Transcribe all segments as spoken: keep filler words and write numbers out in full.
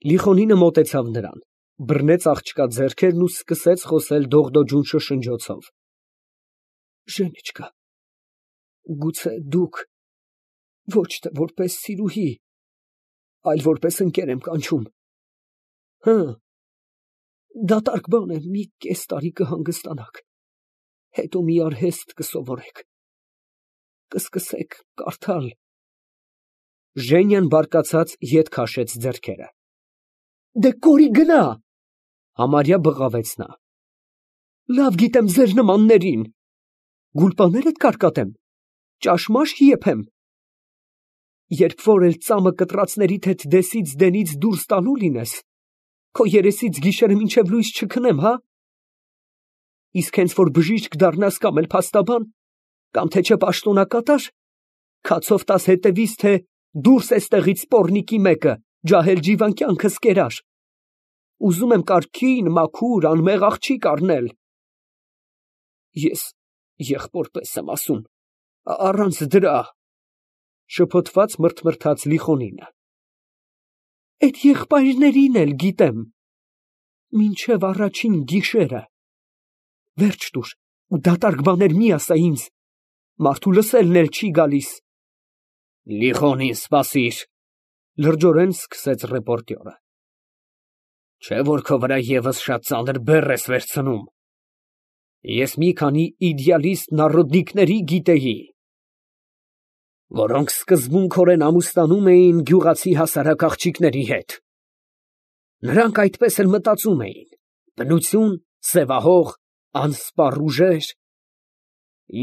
Լիխոնինը մոտեցավ նրան, բռնեց աղջկա ձեռքերն ու սկսեց խոսել դողդոջուն շշնջոցով. Գուցե դուք ոչ թե որպես սիրուհի, այլ որպես ընկեր եմ կանչում։ Հը, դատարկ բան է, մի կես տարի կհանգստանաք, հետո մի արհեստ կսովորեք, կսկսեք կարդալ… Ժենյան բարկացած ետ քաշեց ձեռքերը։ Դե կորի գնա, համարյա բղավեց նա։ Լավ գիտեմ ձեր նմաններին, գուլպաներդ կարկատեմ, ճաշմաշ եփեմ, երբ որ էլ ծամը կտրածներիդ հետ դեսից դենից դուրս տալու լինես, քո երեսից գիշերը մինչև լույս չքնեմ, հա։ Իսկ հենց որ բժիշկ դառնաս կամ էլ փաստաբան, կամ թե չէ պաշտոնակատար, քացով տաս հետևից, թե դուրս էստեղից սպորնիկի մեկը, ջահել ջիվան կյանքս կերար։ Ուզում եմ կարգին, մաքուր, անմեղ աղջիկ առնել։ Ես եղբոր պես եմ ասում, առանց դրա… Շփոթված մռթմռթաց Լիխոնինը։ Էդ եղբայրներին էլ գիտեմ, մինչև առաջին գիշերը… Վերջ տուր ու դատարկ բաներ մի ասա ինձ, մարդու լսելն էլ չի գալիս։ Լիխոնին, սպասիր, լրջորեն սկսեց ռեպորտյորը։ Չէ՞ որ քո վրա ևս շատ ծանր բեռ ես վերցնում։ Ես մի քանի իդեալիստ նառոդնիկների գիտեի, որոնք սկզբունքորեն ամուսնանում էին գյուղացի հասարակ աղջիկների հետ։ Նրանք այդպես էլ մտածում էին, բնություն, սևահող, անսպառ ուժեր…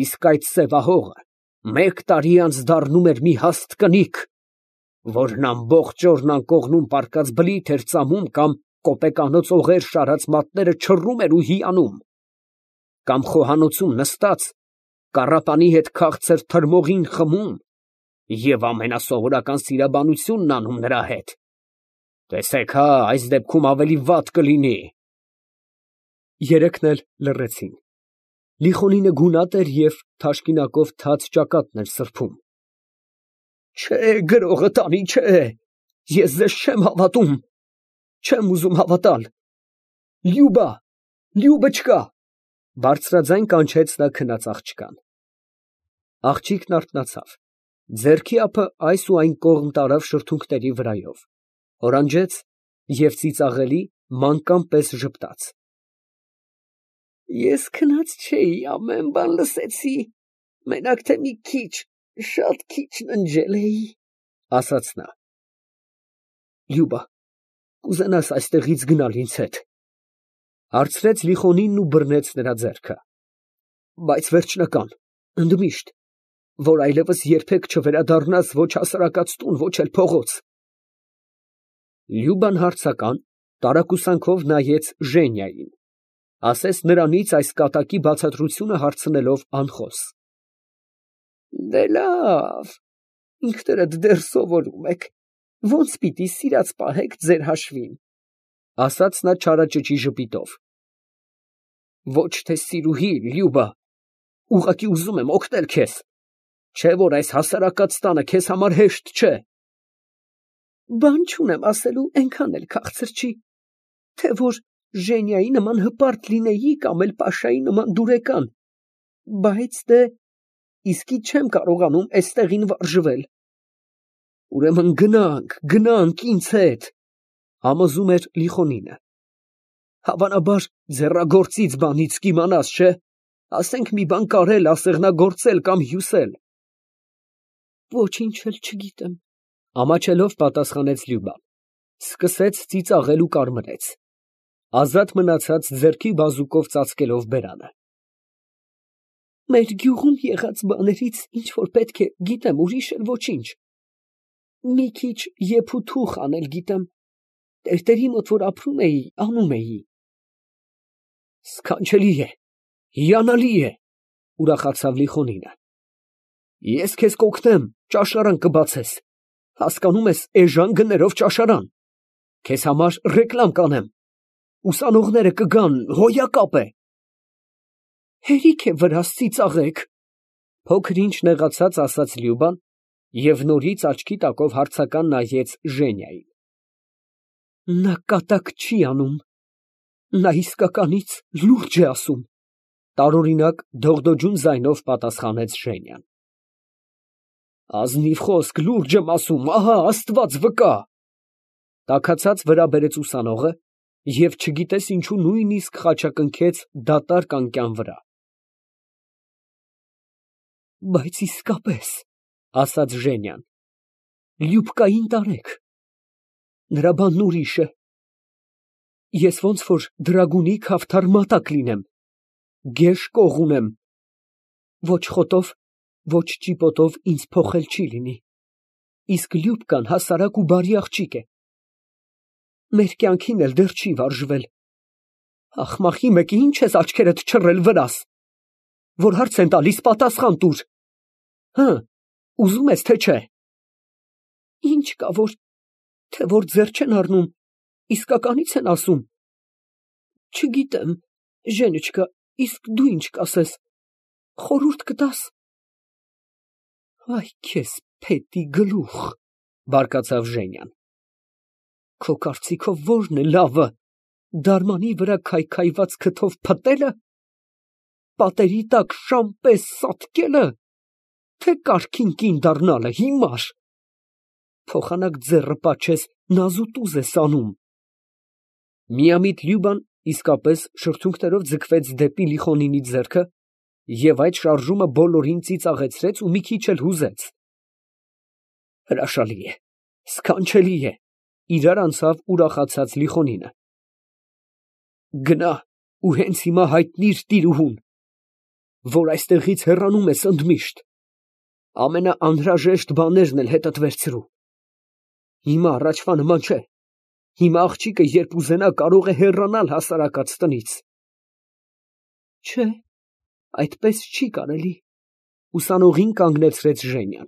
Իսկ այդ սևահողը մեկ տարի անց դառնում էր մի հաստ կնիկ, որն ամբողջ օրն անկողնում պառկած բլիթ էր ծամում կամ կոպեկանոց օղեր շարած մատները չռում էր ու հիանում, կամ խոհանոցում նստած կառապանի հետ քաղցր թրմողին խմում և ամենասովորական սիրաբանությունն անում նրա հետ… Տեսեք հա, այս դեպքում ավելի վատ կլինի… Երեքն էլ լռեցին։ Լիխոնինը գունատ էր և թաշկինակով թաց ճակատն էր սրբում։ Չէ, գրողը տանի, չէ, ես ձեզ չեմ հավատում, չեմ ուզում հավատալ… Լյուբա, Լյուբչկա… Բարձրաձայն կանչեց նա քնած աղջկան։ Աղջիկն արթնացավ, ձեռքի ափը այս ու այն կողմ տարավ շրթունքների վրայով, հորանջեց և ծիծաղելի, մանկան պես ժպտաց։ Ես քնած չէի, ամեն բան լսեցի, մենակ թե մի քիչ, շատ քիչ ննջել էի, ասաց նա։ Լյուբա, կուզենա՞ս այստեղից գնալ ինձ հետ, հարցրեց Լիխոնինն ու բռնեց նրա ձեռքը, բայց վերջնական, ընդմիշտ, որ այլևս երբեք չվերադառնաս ոչ հասարակած տուն, ոչ էլ փողոց… Լյուբան հարցական, տարակուսանքով նայեց Ժենիային, ասես նրանից այս կատակի բացատրությունը հարցնելով անխոս։ Դե լավ, ինքներդ դեռ սովորում եք, ոնց պիտի սիրած պահեք ձեր հաշվին, ասաց նա չարաճճի ժպիտով։ Ոչ թե սիրուհի, Լյուբա, ուղղակի ուզում եմ օգնել քեզ, չէ որ այս հասարակած տանը քեզ համար հեշտ չէ։ Բան չունեմ ասելու, այնքան էլ քաղցր չի, թե որ Ժենիայի նման հպարտ լինեի կամ էլ Պաշայի նման դուրեկան, բայց դե իսկի չեմ կարողանում էստեղին վարժվել։ Ուրեմն գնանք, գնանք ինձ հետ, համոզում էր Լիխոնինը։ Հավանաբար ձեռագործից բանից կիմանաս, չէ՞, ասենք մի բան կարել, ասեղնագործել կամ հյուսել։ Ոչինչ էլ չգիտեմ, ամաչելով պատասխանեց Լյուբան, սկսեց ծիծաղել ու կարմրեց, ազատ մնացած ձեռքի բազուկով ծածկելով բերանը։ Մեր գյուղում եղած բաներից ինչ որ պետք է գիտեմ, ուրիշ էլ ոչինչ։ Մի քիչ եփ ու թուխ անել գիտեմ, տերտերի մոտ որ ապրում էի, անում էի։ Սքանչելի է, հիանալի է, ուրախացավ Լիխոնինը։ Ես քեզ կօգնեմ, ճաշարան կբացես, հասկանում ես, էժան գներով ճաշարան, քեզ համար ռեկլամ կանեմ, ուսանողները կգան, հոյակապ է։ Հերիք է վրաս ծիծաղեք, փոքր ինչ նեղացած ասաց Լյուբան և նորից աչքի տակով հարցական նայեց Ժենիային։ Նա կատակ չի անում, նա իսկականից լուրջ է ասում, տարօրինակ դողդոջուն ձայնով պատասխանեց Ժենյան։ Ազնիվ խոսք, լուրջ եմ ասում, ահա Աստված վկա, տաքացած վրա բերեց ուսանողը և չգիտես ինչու նույնիսկ խաչակնքեց դատարկ անկյան վրա։ Բայց իսկապես, ասաց Ժենյան, Լյուբկային տարեք, նրա բանն ուրիշ է, ես ոնց որ դրագունի քավթար մատակ լինեմ, գեշ կող ունեմ, ոչ խոտով, ոչ ճիպոտով ինձ փոխել չի լինի, իսկ Լյուբկան հասարակ ու բարի աղջիկ է, մեր կյանքին էլ դեռ չի վարժվել, ախմախի մեկի ինչ ես աչքերդ չռել վրաս, որ հարց են տալիս պատասխան տուր, հը, ուզում ես թե չէ, ինչ կա որ, թե որ ձեռ չեն առնում, իսկականից են ասում, չգիտեմ, Ժենիչկա, իսկ դու ինչ կասես, խորհուրդ կտաս։ Այ քեզ փետի գլուխ, բարկացավ Ժենյան, քո կարծիքով ո՞րն է լավը, դարմանի վրա քայքայված քթով փտելը, պատերի տակ շան պես սատկելը, թե կարգին կին դառնալը հիմար, փոխանակ ձեռը պաչես նազուտուզ ես անում։ Միամիտ Լյուբան իսկապես շրթունքներով ձգվեց դեպի Լիխոնինի ձեռքը և այդ շարժումը բոլորին ծիծաղեցրեց ու մի քիչ էլ հուզեց։ Հրաշալի է, սքանչելի է, իրար անցավ ուրախացած Լիխոնինը։ Գնա ու հենց հիմա հայտնիր տիրուհուն, որ այստեղից հեռանում ես ընդմիշտ, ամենաանհրաժեշտ բաներն էլ հետդ վերցրու։ Հիմա առաջվա նման չէ, հիմա աղջիկը երբ ուզենա կարող է հեռանալ հասարակած տնից։ Չէ, այդպես չի կարելի, ուսանողին կանգնեցրեց Ժենյան,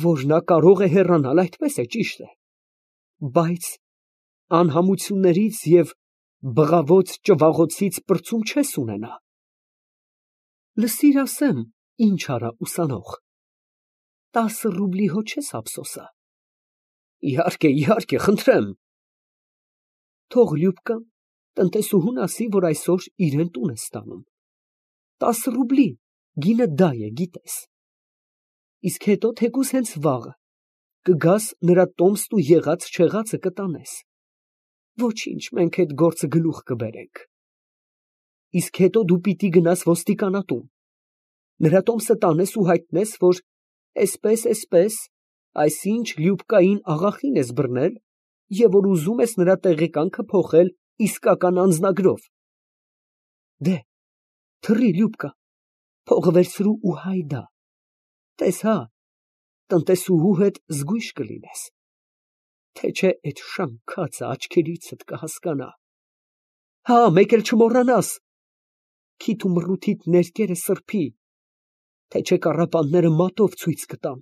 որ նա կարող է հեռանալ, այդպես է, ճիշտ է, բայց անհամություններից և բղավոց ճվաղոցից պրծում չես ունենա։ Լսիր ասեմ, ինչ արա ուսանող, տասը ռուբլի հո չես ափսոսա։ Իհարկե, իհարկե, խնդրեմ։ Թող Լյուբկան տնտեսուհուն ասի, որ այսօր իրեն տուն է ստանում։ Տասը ռուբլի, գինը դա է, գիտես։ Իսկ հետո թեկուզ հենց վաղը կգաս նրա տոմստ ու եղած չեղածը կտանես։ Ոչինչ, մենք այդ գործը գլուխ կբերենք։ Իսկ հետո դու պիտի գնաս ոստիկանատուն, նրա տոմսը տանես ու հայտնես, որ էսպես, էսպես, այսինչ Լյուբկային աղախին ես բռնել և որ ուզում ես նրա տեղեկանքը փոխել իսկական անձնագրով։ Դե, թռի Լյուբկա, փողը վերցրու ու հայդա, տես հա, տնտեսուհու հետ զգույշ կլինես, թե չէ էդ շանքածը աչքերիցդ կհասկանա։ Հա, մեկ էլ չմոռանաս, քիթ ու մռութիդ ներկերը սրբի, թե չէ կառապանները մատով ցույց կտան։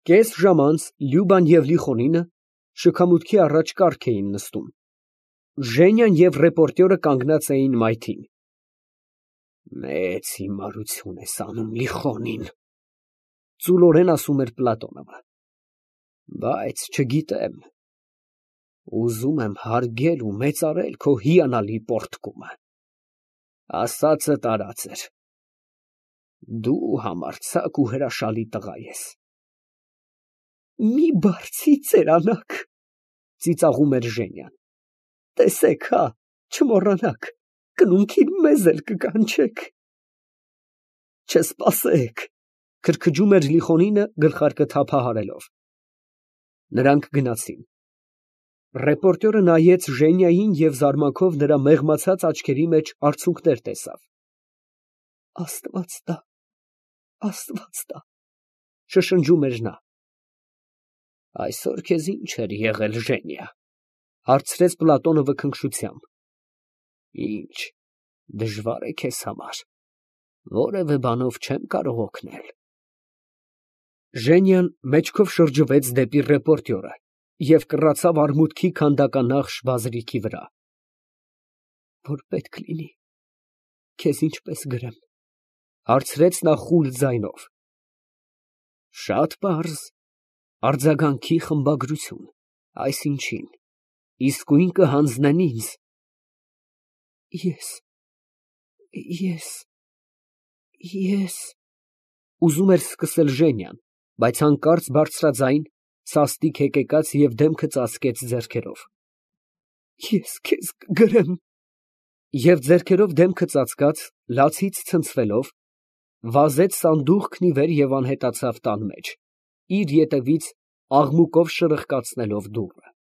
Կես ժամ անց Լյուբան և Լիխոնինը շքամուտքի առաջ կառք էին նստում։ Ժենյան և ռեպորտյորը կանգնած էին մայթին։ Մեծ հիմարություն ես անում, Լիխոնին, ծուլորեն ասում էր Պլատոնովը, բայց չգիտեմ, ուզում եմ հարգել ու մեծարել քո հիանալի պոռթկումը, ասածդ արած էր, դու համարձակ ու հրաշալի տղա ես։ Մի բարձի ծերանակ, ծիծաղում էր Ժենյան, տեսեք հա, չմոռանաք, կնունքին մեզ էլ կկանչեք։ Չսպասեք, քրքջում էր Լիխոնինը գլխարկը թափահարելով։ Նրանք գնացին։ Ռեպորտյորը նայեց Ժենյային և զարմանքով նրա մեղմացած աչքերի մեջ արցունքներ տեսավ։ Աստված տա, Աստված տա, շշնջում էր նա։ Այսօր քեզ ինչ էր եղել, Ժենյա, հարցրեց Պլատոնովը քնքշությամբ։ Ինչ, դժվար է քեզ համար, որևէ բանով չեմ կարող օգնել։ Ժենյան մեջքով շրջվեց դեպի ռեպորտյորը և կռացավ արմուտքի քանդականախշ բազրիքի վրա։ Որ պետք լինի, քեզ ինչպես գրեմ, հարցրեց նա խուլ ձայնով։ Շատ պարզ, արձագանքի խմբագրություն։ Այս ինչին, իսկույն կհանձնեն ինձ։ Ես… ես… ես… ուզում էր սկսել Ժենյան, բայց հանկարծ բարձրաձայն, սաստիկ հեկեկաց և դեմքը ծածկեց ձեռքերով։ Ես քեզ կգրեմ… Եվ ձեռքերով դեմքը ծածկած, լացից ցնցվելով, վազեց սանդուղքն ի վեր և անհետացավ տան մեջ, իր ետևից աղմուկով շրխկացնելով դուռը։